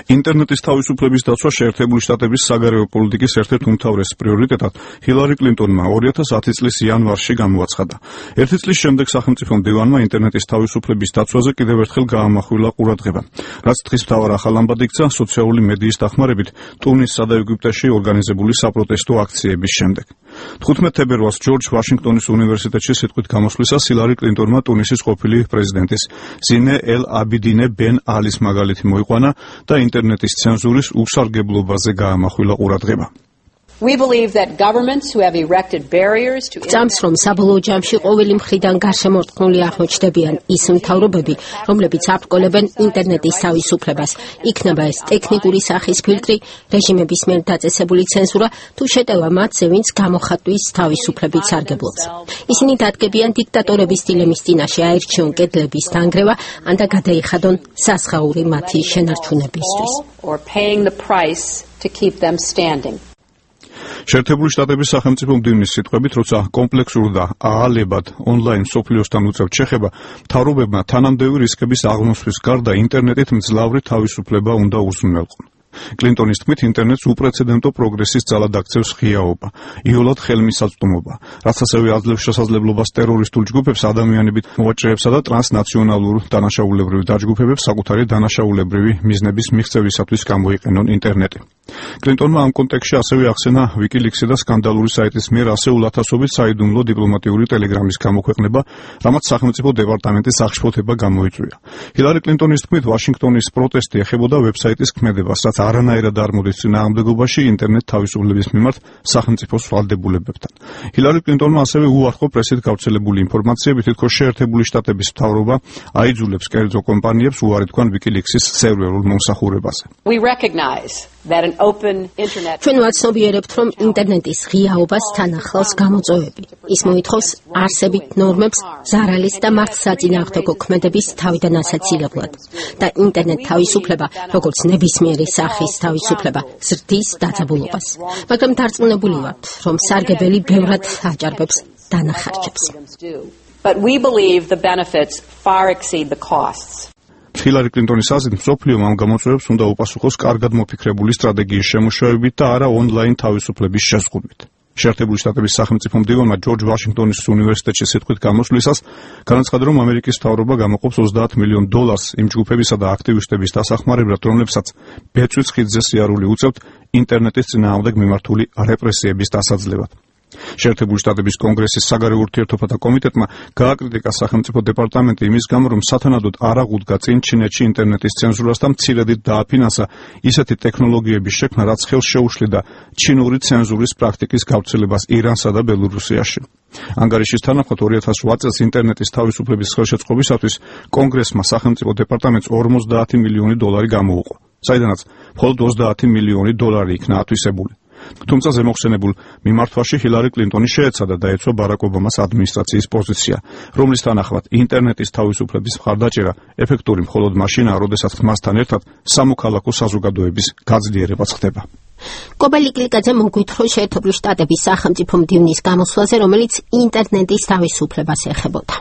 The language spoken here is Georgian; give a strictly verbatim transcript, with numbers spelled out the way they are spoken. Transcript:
ინტერნეტის თავისუფლების დაცვა შეერთებული შტატების საგარეო პოლიტიკის ერთ-ერთ უმთავრეს პრიორიტეტად ჰილარი კლინტონმა ორი ათას ათი წლის იანვარში გამოაცხადა. ერთი წლის შემდეგ სახელმწიფო მდივანმა ინტერნეტის თავისუფლების დაცვაზე კიდევ ერთხელ გაამახვილა ყურადღება. რაც დღის მთავარ ახალ ამბად იქცა სოციალური მედიის დახმარებით ტუნისსა და ეგვიპტეში ორგანიზებული საპროტესტო აქციების შემდეგ. თხუთმეტ თებერვალს ჯორჯ ვაშინგტონის უნივერსიტეტში სიტყვით გამოსვლისას ჰილარი კლინტონმა ტუნისის ყოფილი პრეზიდენტის ზინე ელ აბიდინე ბენ ალის მაგალითი მოიყვანა და ინტერნეტის ცენზურის უსარგებლობაზე გაამახვილა ყურადღება. We believe that governments who have erected barriers to Წამს რომ საბოლოო ჯამში ყოველი მხრიდან გარშემორტყმული აღმოჩნდებიან ის მთავრობები, რომლებიც აბრკოლებენ ინტერნეტის თავისუფლებას, იქნება ეს ტექნიკური სახის ფილტრი, რეჟიმების მიერ დაწესებული ცენზურა, თუ შეტევა მათზე, ვინც გამოხატვის თავისუფლებით სარგებლობს. ისინი დადგებიან დიქტატორების დილემის წინაშე აირჩიონ კედლების დანგრევა, ან და გადაიხადონ სასხაური მათი შენარჩუნებისთვის. or paying the price to keep them standing. შეერთებული შტატების სახელმწიფო მდივნის სიტყვებით, როცა კომპლექსურ და აალებად ონლაინ მსოფლიოსთან უწევთ შეხება, მთავრობებმა თანამდები რისკების აღმოსვლის გარდა ინტერნეტით მძლავრი თავისუფლება უნდა უზრუნველყონ. კლინტონის თქმით, ინტერნეტს უპრეცედენტო პროგრესის ძალად აქცევს ღიაობა, იოლად ხელმისაწვდომობა, რაც ასევე აძლევს შესაძლებლობას ტერორისტულ ჯგუფებს, ადამიანებით მოვაჭრეებსა და ტრანსნაციონალურ დანაშაულებრივ დაჯგუფებებს საკუთარი დანაშაულებრივი მიზნების მიღწევისათვის გამოიყენონ ინტერნეტი. კლინტონმა ამ კონტექსტში ასევე ახსენა ვიკილიქსი და სკანდალური საიტის მიერ ასეულ ათასობით საიდუმლო დიპლომატიური ტელეგრამის გამოქვეყნება, რამაც სახელმწიფო დეპარტამენტის აღშფოთება გამოიწვია. ჰილარი კლინტონის თქმით, ვაშინგტონის პროტესტი ეხებოდა ვებსაიტის ქმედებას, რაც არანაირად არ მოდის წინააღმდეგობაში ინტერნეტ თავისუფლების მიმართ სახელმწიფოს ვალდებულებებთან. ჰილარი კლინტონმა ასევე უარყო პრესით გავრცელებული ინფორმაციები, თითქოს შეერთებული შტატების მთავრობა აიძულებს კერძო კომპანიებს უარი თქვან ვიკილიქსის სერვერულ მომსახურებაზე. We recognize that an open internet ჩვენ ვაცნობიერებთ, რომ ინტერნეტის ღიაობას თან ახლავს გამოწვევები. ის მოითხოვს არსებით ნორმებს ზარალის და მართლსაწინააღმდეგო ქმედების თავიდან ასაცილებლად და ინტერნეტ თავისუფლება, როგორც ნებისმიერი სახის თავისუფლება, ზრდის დაძაბულობას. მაგრამ დარწმუნებული ვართ, რომ სარგებელი ბევრად აჭარბებს დანახარჯებს. But we believe the benefits far exceed the costs. ჰილარი კლინტონის აზრით, მსოფლიომ ამ გამოწვევებს უნდა უპასუხოს კარგად მოფიქრებული სტრატეგიის შემუშავებით და არა ონლაინ თავისუფლების შეზღუდვით. შეერთებული შტატების სახელმწიფო მდივანმა ჯორჯ ვაშინგტონის უნივერსიტეტში სიტყვით გამოსვლისას განაცხადა, რომ ამერიკის მთავრობა გამოყოფს ოცდაათ მილიონ დოლარს იმ ჯგუფებისა და აქტივისტების დასახმარებლად, რომლებსაც ბეწვის ხიდზე სიარული უწევთ ინტერნეტის წინააღმდეგ მიმართული რეპრესიების დასაძლევად. შეერთებული შტატების კონგრესის საგარეო ურთიერთობათა კომიტეტმა გააკრიტიკა სახელმწიფო დეპარტამენტი იმის გამო, რომ სათანადოდ არ აღუდგა წინ ჩინეთში ინტერნეტის ცენზურას და მცირედით დააფინანსა ისეთი ტექნოლოგიების შექმნა, რაც ხელს შეუშლიდა ჩინური ცენზურის პრაქტიკის გავრცელებას ირანსა და ბელორუსიაში. ანგარიშის თანახმად ორი ათას ოთხ წელს ინტერნეტის თავისუფლების ხელშეწყობისათვის კონგრესმა სახელმწიფო დეპარტამენტს ორმოცდაათი მილიონი დოლარი გამოუყო, საიდანაც მხოლოდ ოცდაათი მილიონი დოლარი იქნა ათვისებული. თუმცა ზემოხსენებულ მიმართვაში ჰილარი კლინტონი შეეცადა დაეცვა ბარაკ ობამას ადმინისტრაციის პოზიცია, რომლის თანახმად ინტერნეტის თავისუფლების მხარდაჭერა ეფექტური მხოლოდ მაშინაა, როდესაც მასთან ერთად სამოქალაქო საზოგადოების გაძლიერებაც ხდება. კობელი კლიკაძე მოგვითხრა შეერთებული შტატების სახელმწიფო მდივნის გამოსვლაზე, რომელიც ინტერნეტის თავისუფლებას ეხებოდა.